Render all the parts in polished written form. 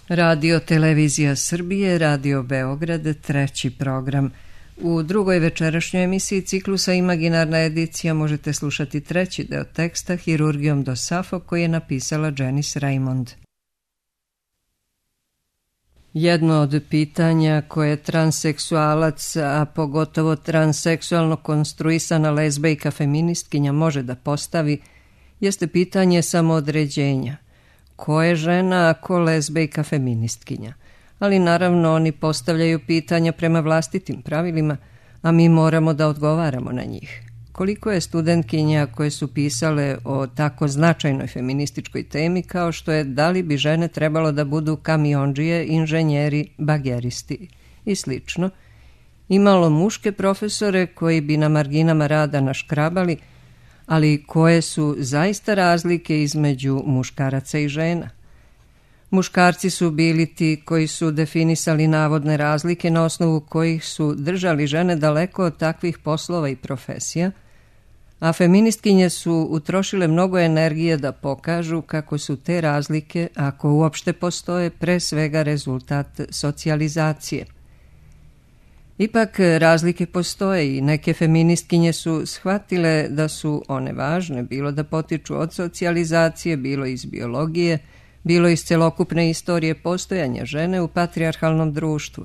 Radio Televizija Srbije, Radio Beograd, treći program. U drugoj večerašnjoj emisiji ciklusa Imaginarna edicija možete slušati treći deo teksta Hirurgijom do Safo koji je napisala Janice Raymond. Jedno od pitanja koje transseksualac, a pogotovo transseksualno konstruisana lezbejka feministkinja može da postavi, jeste pitanje samoodređenja. Ko je žena, a ko lezbejka feministkinja? Ali naravno oni postavljaju pitanja prema vlastitim pravilima, a mi moramo da odgovaramo na njih. Koliko je studentkinja koje su pisale o tako značajnoj feminističkoj temi kao što je da li bi žene trebalo da budu kamiondžije, inženjeri, bageristi i slično, imalo muške profesore koji bi na marginama rada naškrabali, ali koje su zaista razlike između muškaraca i žena. Muškarci su bili ti koji su definisali navodne razlike na osnovu kojih su držali žene daleko od takvih poslova i profesija, a feministkinje su utrošile mnogo energije da pokažu kako su te razlike, ako uopšte postoje, pre svega rezultat socijalizacije. Ipak razlike postoje i neke feministkinje su shvatile da su one važne, bilo da potiču od socijalizacije, bilo iz biologije, bilo iz celokupne istorije postojanja žene u patrijarhalnom društvu.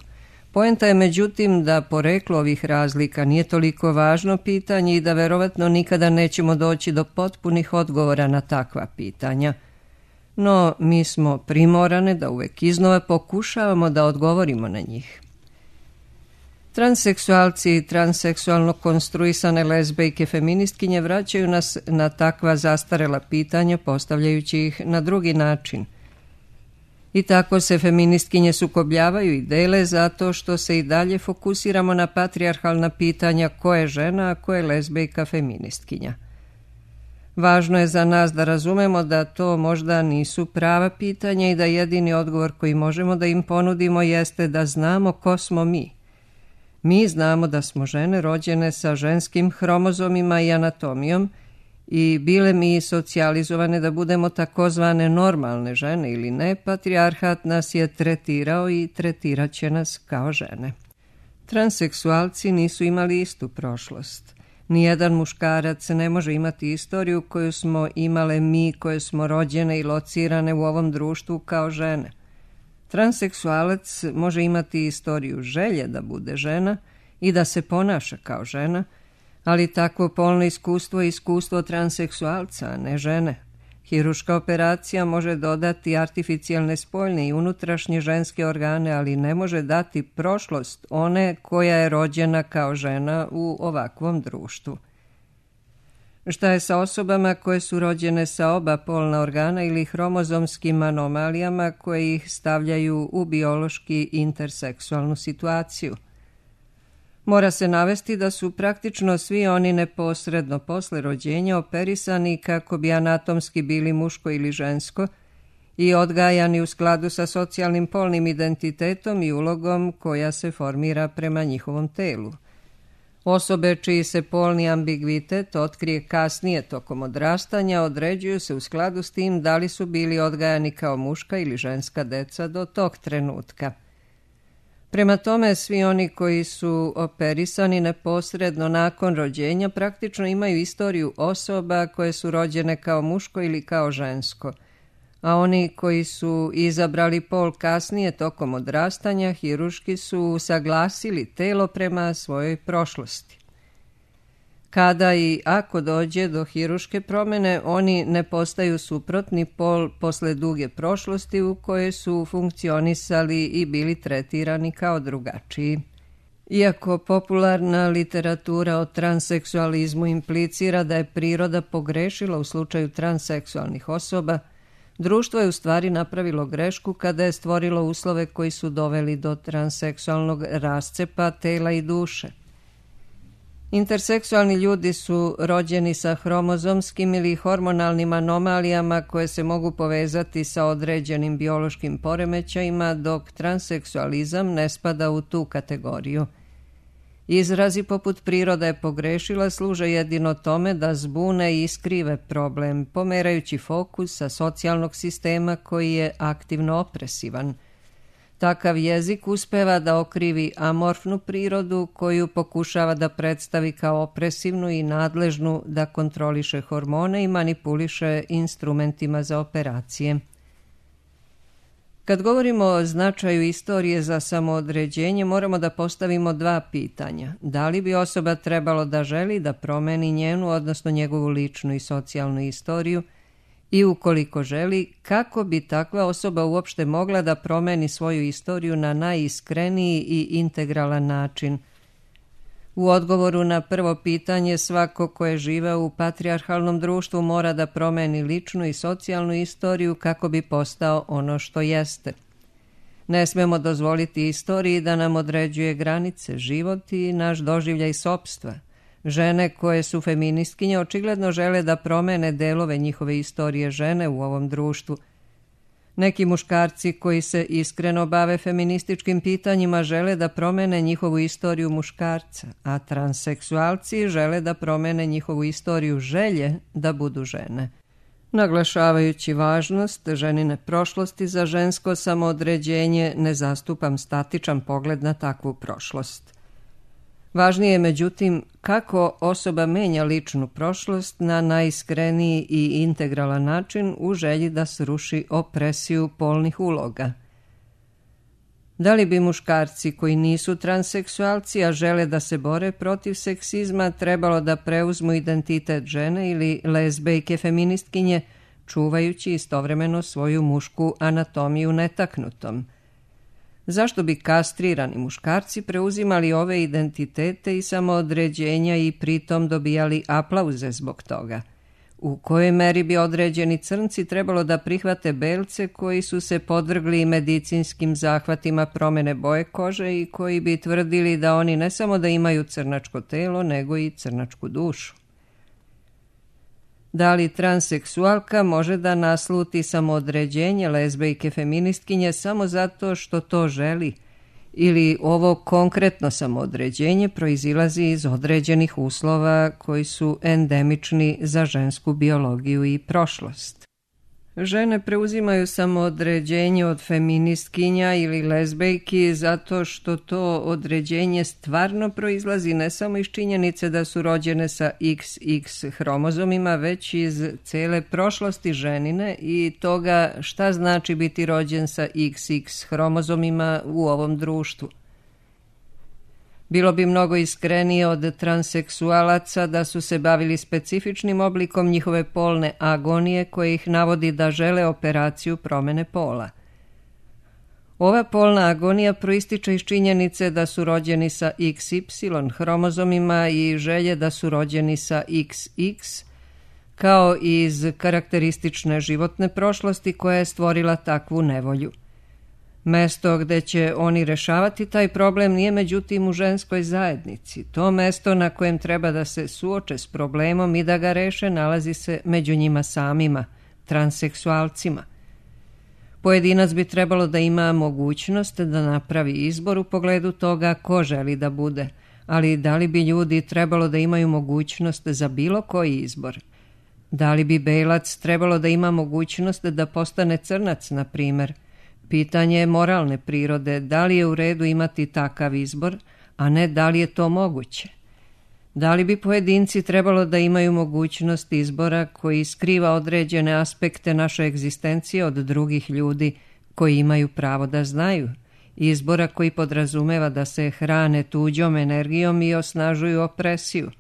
Poenta je međutim da poreklo ovih razlika nije toliko važno pitanje i da verovatno nikada nećemo doći do potpunih odgovora na takva pitanja. No, mi smo primorane da uvek iznova pokušavamo da odgovorimo na njih. Transseksualci i transseksualno konstruisane lezbejke feministkinje vraćaju nas na takva zastarela pitanja postavljajući ih na drugi način. I tako se feministkinje sukobljavaju i dele zato što se i dalje fokusiramo na patrijarhalna pitanja ko je žena, a ko je lezbejka feministkinja. Važno je za nas da razumemo da to možda nisu prava pitanja i da jedini odgovor koji možemo da im ponudimo jeste da znamo ko smo mi. Mi znamo da smo žene rođene sa ženskim hromozomima i anatomijom i bile mi socijalizovane da budemo takozvane normalne žene ili ne, patrijarhat nas je tretirao i tretirat će nas kao žene. Transseksualci nisu imali istu prošlost. Nijedan muškarac ne može imati istoriju koju smo imale mi koje smo rođene i locirane u ovom društvu kao žene. Transseksualac može imati istoriju želje da bude žena i da se ponaša kao žena, ali takvo polno iskustvo je iskustvo transseksualca, a ne žene. Hiruška operacija može dodati artificijalne spoljne i unutrašnje ženske organe, ali ne može dati prošlost one koja je rođena kao žena u ovakvom društvu. Šta je sa osobama koje su rođene sa oba polna organa ili hromozomskim anomalijama koje ih stavljaju u biološki interseksualnu situaciju? Mora se navesti da su praktično svi oni neposredno posle rođenja operisani kako bi anatomski bili muško ili žensko i odgajani u skladu sa socijalnim polnim identitetom i ulogom koja se formira prema njihovom telu. Osobe čiji se polni ambigvitet otkrije kasnije tokom odrastanja određuju se u skladu s tim da li su bili odgajani kao muška ili ženska deca do tog trenutka. Prema tome, svi oni koji su operisani neposredno nakon rođenja praktično imaju istoriju osoba koje su rođene kao muško ili kao žensko, a oni koji su izabrali pol kasnije tokom odrastanja hiruški su usaglasili telo prema svojoj prošlosti. Kada i ako dođe do hiruške promene, oni ne postaju suprotni pol posle duge prošlosti u kojoj su funkcionisali i bili tretirani kao drugačiji. Iako popularna literatura o transseksualizmu implicira da je priroda pogrešila u slučaju transseksualnih osoba, društvo je u stvari napravilo grešku kada je stvorilo uslove koji su doveli do transseksualnog rascepa tela i duše. Interseksualni ljudi su rođeni sa hromozomskim ili hormonalnim anomalijama koje se mogu povezati sa određenim biološkim poremećajima, dok transseksualizam ne spada u tu kategoriju. Izrazi poput priroda je pogrešila služe jedino tome da zbune i iskrive problem, pomerajući fokus sa socijalnog sistema koji je aktivno opresivan. Takav jezik uspeva da okrivi amorfnu prirodu koju pokušava da predstavi kao opresivnu i nadležnu da kontroliše hormone i manipuliše instrumentima za operacije. Kad govorimo o značaju istorije za samoodređenje, moramo da postavimo dva pitanja. Da li bi osoba trebalo da želi da promeni njenu, odnosno njegovu ličnu i socijalnu istoriju, i ukoliko želi, kako bi takva osoba uopšte mogla da promeni svoju istoriju na najiskreniji i integralan način? U odgovoru na prvo pitanje, svako ko je živeo u patrijarhalnom društvu mora da promeni ličnu i socijalnu istoriju kako bi postao ono što jeste. Ne smemo dozvoliti istoriji da nam određuje granice, život i naš doživljaj sopstva. Žene koje su feministkinje očigledno žele da promene delove njihove istorije žene u ovom društvu. Neki muškarci koji se iskreno bave feminističkim pitanjima žele da promene njihovu istoriju muškarca, a transseksualci žele da promene njihovu istoriju želje da budu žene. Naglašavajući važnost ženine prošlosti za žensko samoodređenje, ne zastupam statičan pogled na takvu prošlost. Važnije je, međutim, kako osoba menja ličnu prošlost na najiskreniji i integralan način u želji da sruši opresiju polnih uloga. Da li bi muškarci koji nisu transseksualci, a žele da se bore protiv seksizma, trebalo da preuzmu identitet žene ili lezbejke feministkinje, čuvajući istovremeno svoju mušku anatomiju netaknutom? Zašto bi kastrirani muškarci preuzimali ove identitete i samoodređenja i pritom dobijali aplauze zbog toga? U kojoj meri bi određeni crnci trebalo da prihvate belce koji su se podvrgli medicinskim zahvatima promene boje kože i koji bi tvrdili da oni ne samo da imaju crnačko telo, nego i crnačku dušu? Da li transseksualka može da nasluti samoodređenje lezbejke feministkinje samo zato što to želi? Ili ovo konkretno samoodređenje proizilazi iz određenih uslova koji su endemični za žensku biologiju i prošlost? Žene preuzimaju samoodređenje od feministkinja ili lezbejki zato što to određenje stvarno proizlazi ne samo iz činjenice da su rođene sa XX hromozomima, već iz cele prošlosti ženine i toga šta znači biti rođen sa XX hromozomima u ovom društvu. Bilo bi mnogo iskrenije od transseksualaca da su se bavili specifičnim oblikom njihove polne agonije koje ih navodi da žele operaciju promene pola. Ova polna agonija proističe iz činjenice da su rođeni sa XY hromozomima i želje da su rođeni sa XX, kao i iz karakteristične životne prošlosti koja je stvorila takvu nevolju. Mesto gde će oni rešavati taj problem nije međutim u ženskoj zajednici. To mesto na kojem treba da se suoče s problemom i da ga reše nalazi se među njima samima, transseksualcima. Pojedinac bi trebalo da ima mogućnost da napravi izbor u pogledu toga ko želi da bude, ali da li bi ljudi trebalo da imaju mogućnost za bilo koji izbor? Da li bi belac trebalo da ima mogućnost da postane crnac, na primer? Pitanje je moralne prirode, da li je u redu imati takav izbor, a ne da li je to moguće. Da li bi pojedinci trebalo da imaju mogućnost izbora koji skriva određene aspekte naše egzistencije od drugih ljudi koji imaju pravo da znaju, izbora koji podrazumeva da se hrane tuđom energijom i osnažuju opresiju?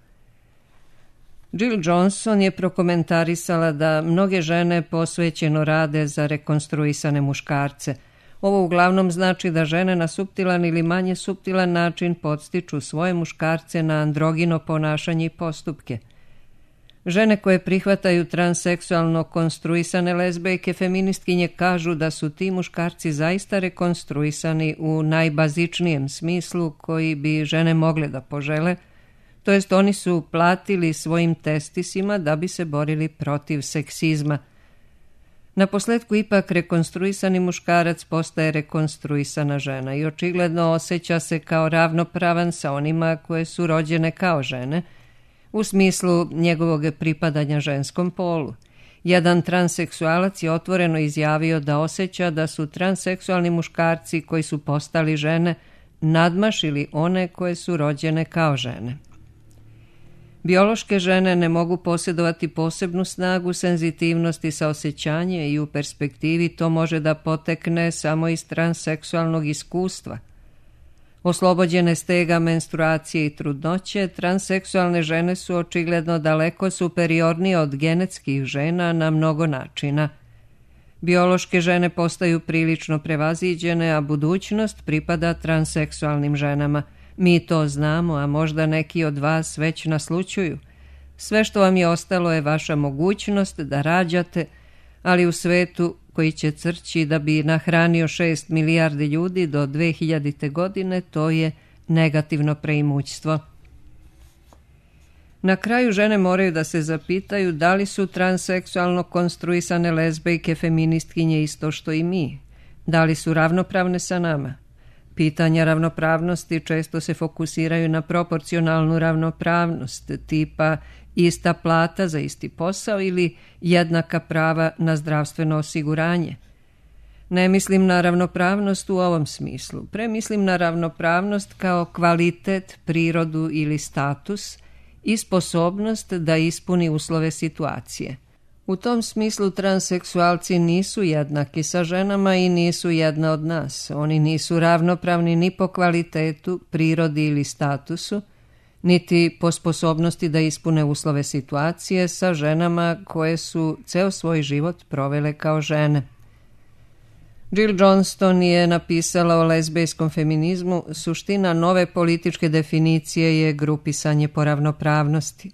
Jill Johnson je prokomentarisala da mnoge žene posvećeno rade za rekonstruisane muškarce. Ovo uglavnom znači da žene na suptilan ili manje suptilan način podstiču svoje muškarce na androgino ponašanje i postupke. Žene koje prihvataju transseksualno konstruisane lezbejke feministkinje kažu da su ti muškarci zaista rekonstruisani u najbazičnijem smislu koji bi žene mogle da požele, to jest oni su platili svojim testisima da bi se borili protiv seksizma. Naposletku ipak rekonstruisani muškarac postaje rekonstruisana žena i očigledno osjeća se kao ravnopravan sa onima koje su rođene kao žene, u smislu njegovog pripadanja ženskom polu. Jedan transseksualac je otvoreno izjavio da osjeća da su transseksualni muškarci koji su postali žene nadmašili one koje su rođene kao žene. Biološke žene ne mogu posjedovati posebnu snagu, senzitivnost i saosjećanje i u perspektivi to može da potekne samo iz transseksualnog iskustva. Oslobođene stega menstruacije i trudnoće, transseksualne žene su očigledno daleko superiornije od genetskih žena na mnogo načina. Biološke žene postaju prilično prevaziđene, a budućnost pripada transseksualnim ženama. Mi to znamo, a možda neki od vas već naslućuju. Sve što vam je ostalo je vaša mogućnost da rađate, ali u svetu koji će crći da bi nahranio 6 milijardi ljudi do 2000. godine, to je negativno preimućstvo. Na kraju žene moraju da se zapitaju da li su transseksualno konstruisane lezbejke feministkinje isto što i mi, da li su ravnopravne sa nama. Pitanja ravnopravnosti često se fokusiraju na proporcionalnu ravnopravnost, tipa ista plata za isti posao ili jednaka prava na zdravstveno osiguranje. Ne mislim na ravnopravnost u ovom smislu, mislim na ravnopravnost kao kvalitet, prirodu ili status i sposobnost da ispuni uslove situacije. U tom smislu transseksualci nisu jednaki sa ženama i nisu jedna od nas. Oni nisu ravnopravni ni po kvalitetu, prirodi ili statusu, niti po sposobnosti da ispune uslove situacije sa ženama koje su ceo svoj život provele kao žene. Jill Johnston je napisala o lezbejskom feminizmu: suština nove političke definicije je grupisanje po ravnopravnosti.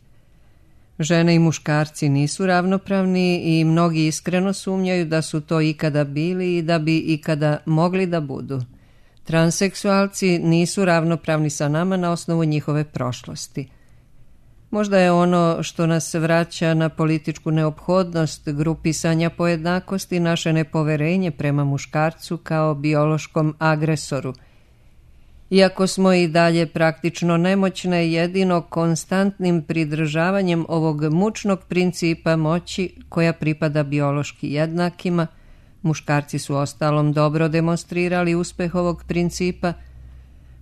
Žene i muškarci nisu ravnopravni i mnogi iskreno sumnjaju da su to ikada bili i da bi ikada mogli da budu. Transseksualci nisu ravnopravni sa nama na osnovu njihove prošlosti. Možda je ono što nas vraća na političku neophodnost grupisanja po jednakosti naše nepoverenje prema muškarcu kao biološkom agresoru. Iako smo i dalje praktično nemoćne, jedino konstantnim pridržavanjem ovog mučnog principa moći koja pripada biološki jednakima, muškarci su ostalom dobro demonstrirali uspeh ovog principa,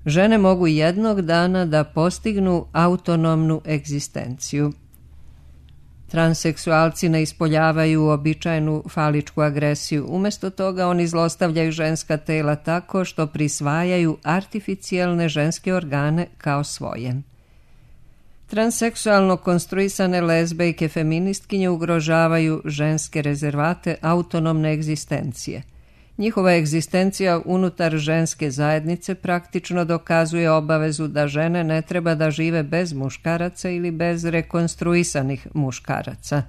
žene mogu jednog dana da postignu autonomnu egzistenciju. Transseksualci ne ispoljavaju uobičajenu faličku agresiju. Umesto toga oni zlostavljaju ženska tela tako što prisvajaju artificijelne ženske organe kao svoje. Transseksualno konstruisane lezbejke feministkinje ugrožavaju ženske rezervate autonomne egzistencije. Njihova egzistencija unutar ženske zajednice praktično dokazuje obavezu da žene ne treba da žive bez muškaraca ili bez rekonstruisanih muškaraca.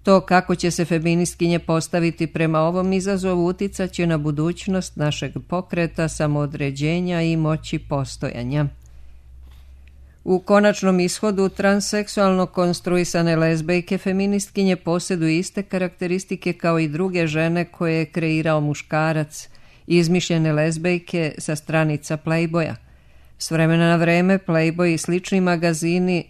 To kako će se feministkinje postaviti prema ovom izazovu uticaće na budućnost našeg pokreta, samoodređenja i moći postojanja. U konačnom ishodu transseksualno konstruisane lezbejke feministkinje posjeduju iste karakteristike kao i druge žene koje je kreirao muškarac, izmišljene lezbejke sa stranica Playboya. S vremena na vreme Playboy i slični magazini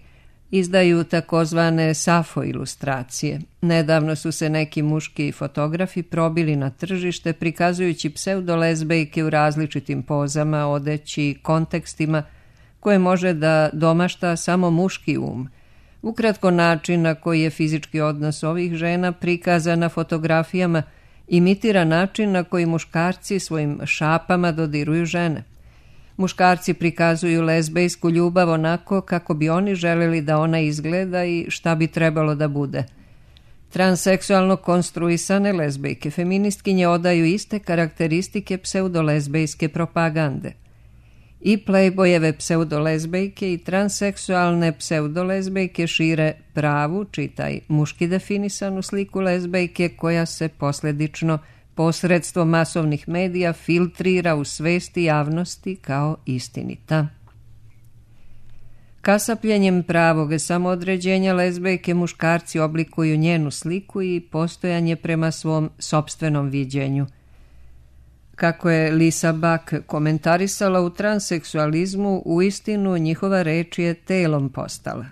izdaju takozvane safo ilustracije. Nedavno su se neki muški fotografi probili na tržište prikazujući pseudolezbejke u različitim pozama, odeći i kontekstima koje može da domašta samo muški um. Ukratko, način na koji je fizički odnos ovih žena prikazan na fotografijama imitira način na koji muškarci svojim šapama dodiruju žene. Muškarci prikazuju lezbejsku ljubav onako kako bi oni želeli da ona izgleda i šta bi trebalo da bude. Transseksualno konstruisane lezbejke feministkinje odaju iste karakteristike pseudolezbejske propagande. I Playboyeve pseudolezbejke i transseksualne pseudolezbejke šire pravu, čitaj muški definisanu sliku lezbejke koja se posljedično posredstvom masovnih medija filtrira u svesti javnosti kao istinita. Kasapljenjem pravog samoodređenja lezbejke muškarci oblikuju njenu sliku i postojanje prema svom sopstvenom viđenju. Kako je Lisa Buck komentarisala, u transseksualizmu uistinu njihova reč je telom postala.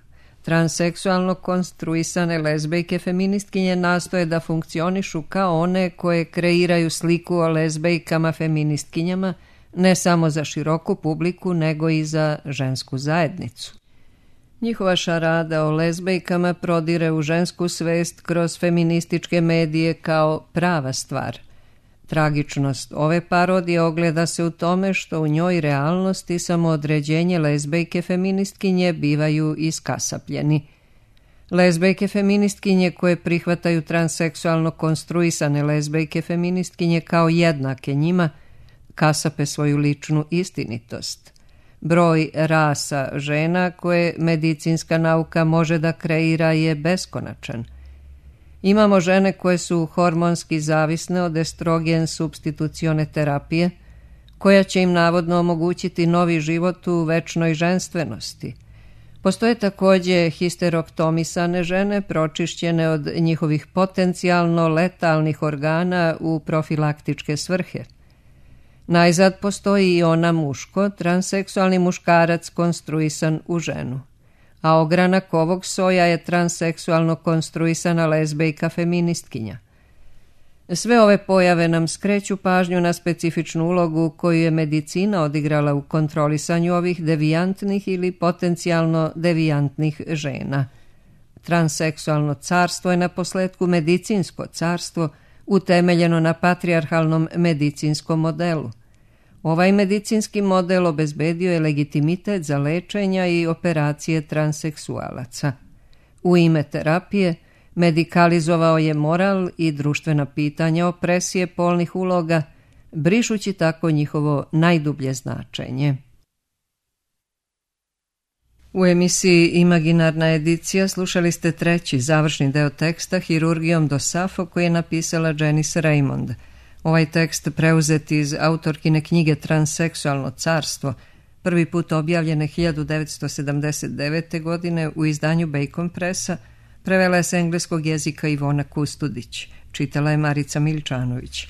Transseksualno konstruisane lezbejke feministkinje nastoje da funkcionišu kao one koje kreiraju sliku o lezbejkama feministkinjama ne samo za široku publiku nego i za žensku zajednicu. Njihova šarada o lezbejkama prodire u žensku svest kroz feminističke medije kao prava stvar. Tragičnost ove parodije ogleda se u tome što u njoj realnost i samoodređenje lezbejke feministkinje bivaju iskasapljeni. Lezbejke feministkinje koje prihvataju transseksualno konstruisane lezbejke feministkinje kao jednake njima kasape svoju ličnu istinitost. Broj rasa žena koje medicinska nauka može da kreira je beskonačan. Imamo žene koje su hormonski zavisne od estrogen supstitucione terapije, koja će im navodno omogućiti novi život u večnoj ženstvenosti. Postoje također histeroktomisane žene pročišćene od njihovih potencijalno letalnih organa u profilaktičke svrhe. Najzad postoji i ona muško, transseksualni muškarac konstruisan u ženu. A ogranak ovog soja je transseksualno konstruisana lezbejka feministkinja. Sve ove pojave nam skreću pažnju na specifičnu ulogu koju je medicina odigrala u kontrolisanju ovih devijantnih ili potencijalno devijantnih žena. Transseksualno carstvo je naposletku medicinsko carstvo utemeljeno na patrijarhalnom medicinskom modelu. Ovaj medicinski model obezbedio je legitimitet za lečenja i operacije transseksualaca. U ime terapije medikalizovao je moral i društvena pitanja opresije polnih uloga, brišući tako njihovo najdublje značenje. U emisiji Imaginarna edicija slušali ste treći završni deo teksta Hirurgijom do Safo koji je napisala Janice Raymond. Ovaj tekst preuzet iz autorkine knjige Transseksualno carstvo, prvi put objavljene 1979. godine u izdanju Bacon Pressa, prevela je s engleskog jezika Ivona Kustudić, čitala je Marica Miličanović.